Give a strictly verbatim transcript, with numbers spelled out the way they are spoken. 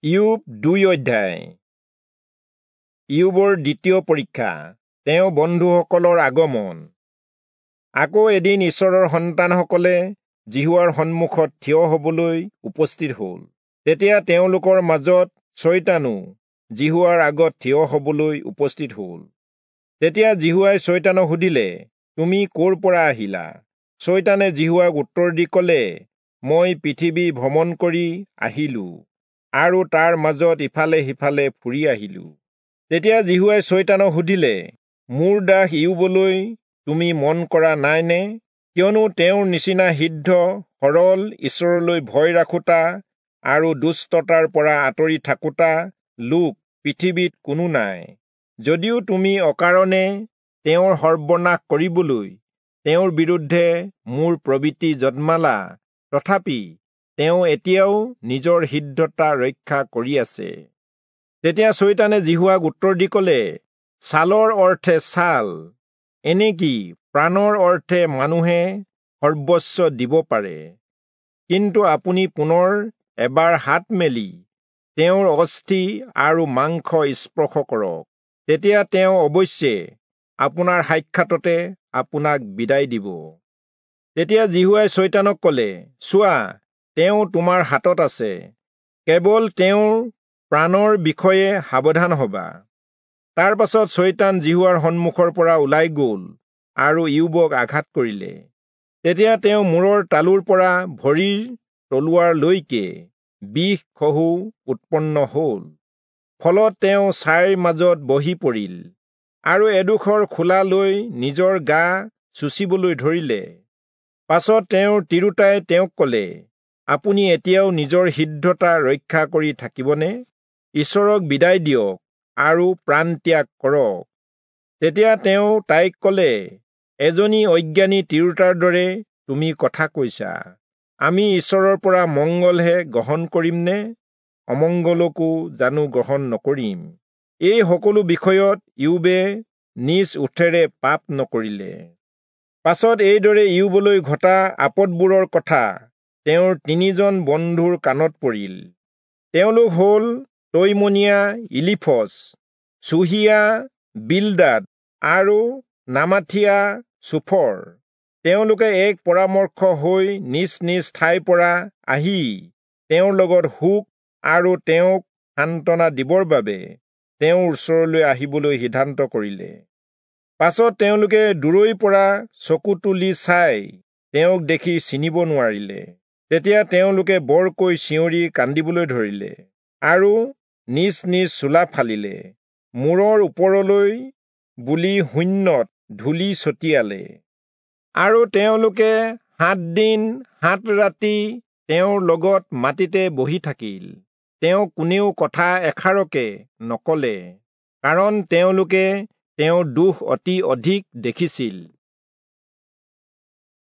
ইয়োব দুই অধ্যায়। ইয়োবৰ দ্বিতীয় পৰীক্ষা, তেওঁ বন্ধুসকলৰ আগমন। আকৌ এদিন ঈশ্বৰৰ সন্তানসকলে যিহোৱাৰ সন্মুখত থিয় হবলৈ উপস্থিত হল। তেতিয়া তেওঁলোকৰ মাজত চয়তানো যিহোৱাৰ আগত থিয় হবলৈ উপস্থিত হল। তেতিয়া যিহোৱাই চয়তানক সুধিলে, তুমি ক'ৰ পৰা আহিলা? চয়তানে যিহোৱাক উত্তৰ দি কলে, মই পৃথিৱী ভ্ৰমণ কৰি আহিলো আৰু তাৰ মাজত ইফালে সিফালে ফুৰি আহিলো। তেতিয়া যিহোৱাই চয়তানক সুধিলে, মোৰ দাস ইয়োবলৈ তুমি মন কৰা নাইনে? কিয়নো তেওঁৰ নিচিনা সিদ্ধ, সৰল, ঈশ্বৰলৈ ভয় ৰাখোতা আৰু দুষ্টতাৰ পৰা আঁতৰি থাকোতা লোক পৃথিৱীত কোনো নাই। যদিও তুমি অকাৰণে তেওঁৰ সৰ্বনাশ কৰিবলৈ তেওঁৰ বিৰুদ্ধে মোৰ প্ৰবৃত্তি জন্মালা, তথাপি তেওঁ এতিয়াও নিজৰ সিদ্ধতা ৰক্ষা কৰি আছে। তেতিয়া চয়তানে যিহোৱাক উত্তৰ দি কলে, ছালৰ অৰ্থে ছাল, এনেকি প্ৰাণৰ অৰ্থে মানুহে সৰ্বস্ব দিব পাৰে। কিন্তু আপুনি পুনৰ এবাৰ হাত মেলি তেওঁৰ অস্থি আৰু মাংস স্পৰ্শ কৰক, তেতিয়া তেওঁ অৱশ্যে আপোনাৰ সাক্ষাততে আপোনাক বিদায় দিব। তেতিয়া যিহোৱাই চয়তানক কলে, চোৱা, তেওঁ তোমাৰ হাতত আছে, কেৱল তেওঁৰ প্ৰাণৰ বিষয়ে সাৱধান হবা। তাৰ পাছত চয়তান যিহোৱাৰ সন্মুখৰ পৰা ওলাই গল আৰু ইয়োবক আঘাত কৰিলে। তেতিয়া তেওঁ মূৰৰ তালুৰ পৰা ভৰিৰ তলুৱাৰলৈকে বিষ খহু উৎপন্ন হল। ফলত তেওঁ ছাইৰ মাজত বহি পৰিল আৰু এডোখৰ খোলা লৈ নিজৰ গা চুচিবলৈ ধৰিলে। পাছত তেওঁৰ তিৰোতাই তেওঁক কলে, আপুনি এতিয়াও নিজৰ সিদ্ধতা ৰক্ষা কৰি থাকিবনে? ঈশ্বৰক বিদায় দিয়ক আৰু প্ৰাণত্যাগ কৰক। তেতিয়া তেওঁ তাইক কলে, এজনী অজ্ঞানী তিৰোতাৰ দৰে তুমি কথা কৈছা। আমি ঈশ্বৰৰ পৰা মংগলহে গ্ৰহণ কৰিম নে অমংগলকো জানো গ্ৰহণ নকৰিম? এই সকলো বিষয়ত ইয়োবে নিজ ওঠেৰে পাপ নকৰিলে। পাছত এইদৰে ইয়োবলৈ ঘটা আপদবোৰৰ কথা তেওঁৰ তিনিজন বন্ধুৰ কাণত পৰিল। তেওঁলোক হল তৈমনীয়া ইলিফচ, চুহিয়া বিলদাদ আৰু নামাথিয়া চোফৰ। তেওঁলোকে এক পৰামৰ্শ হৈ নিজ নিজ ঠাইৰ পৰা আহি তেওঁৰ লগত শোক আৰু তেওঁক সান্তনা দিবৰ বাবে তেওঁৰ ওচৰলৈ আহিবলৈ সিদ্ধান্ত কৰিলে। পাছত তেওঁলোকে দূৰৈৰ পৰা চকু তুলি চাই তেওঁক দেখি চিনিব নোৱাৰিলে। তেতিয়া তেওঁলোকে বৰকৈ চিঞৰি কান্দিবলৈ ধৰিলে আৰু নিজ নিজ চোলা ফালিলে, মূৰৰ ওপৰলৈ বুলি শূন্যত ধূলি ছটিয়ালে। আৰু তেওঁলোকে সাত দিন সাত ৰাতি তেওঁৰ লগত মাটিতে বহি থাকিল। তেওঁ কোনেও কথা এষাৰকে নকলে, কাৰণ তেওঁলোকে তেওঁৰ দুখ অতি অধিক দেখিছিল।